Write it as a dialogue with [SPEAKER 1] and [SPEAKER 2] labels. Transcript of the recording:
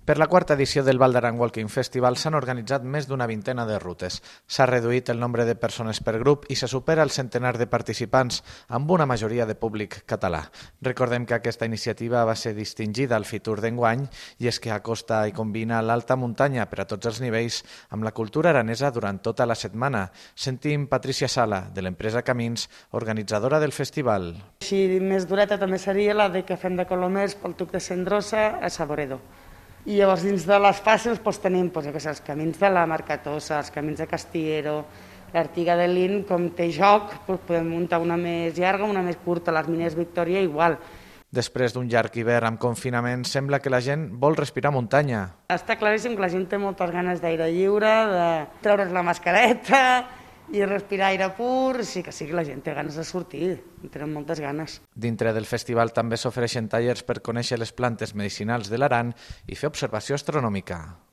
[SPEAKER 1] Per la quarta edició del Val d'Aran Walking Festival s'han organitzat més d'una vintena de rutes. S'ha reduït el nombre de persones per grup i se supera el centenar de participants, amb una majoria de públic català. Recordem que aquesta iniciativa va ser distingida al Fitur d'enguany i és que acosta i combina l'alta muntanya per a tots els nivells amb la cultura aranesa durant tota la setmana. Sentim Patricia Sala, de l'empresa Camins, organitzadora del festival.
[SPEAKER 2] Així més dureta també seria la de que fem de Colomers pel Tuc de Cendrosa a Saboredo. I llavors dins de les fàcils tenim els camins de la Marcatosa, els camins de Castillero, l'Artiga de Lin, com té joc, podem muntar una més llarga, una més curta, les Mines Victòria igual.
[SPEAKER 1] Després d'un llarg hivern amb confinament, sembla que la gent vol respirar muntanya.
[SPEAKER 2] Està claríssim que la gent té moltes ganes d'aire lliure, de treure's la mascareta i respirar aire pur. Sí, la gent té ganes de sortir, tenen moltes ganes.
[SPEAKER 1] Dintre del festival també s'ofereixen tallers per conèixer les plantes medicinals de l'Aran i fer observació astronòmica.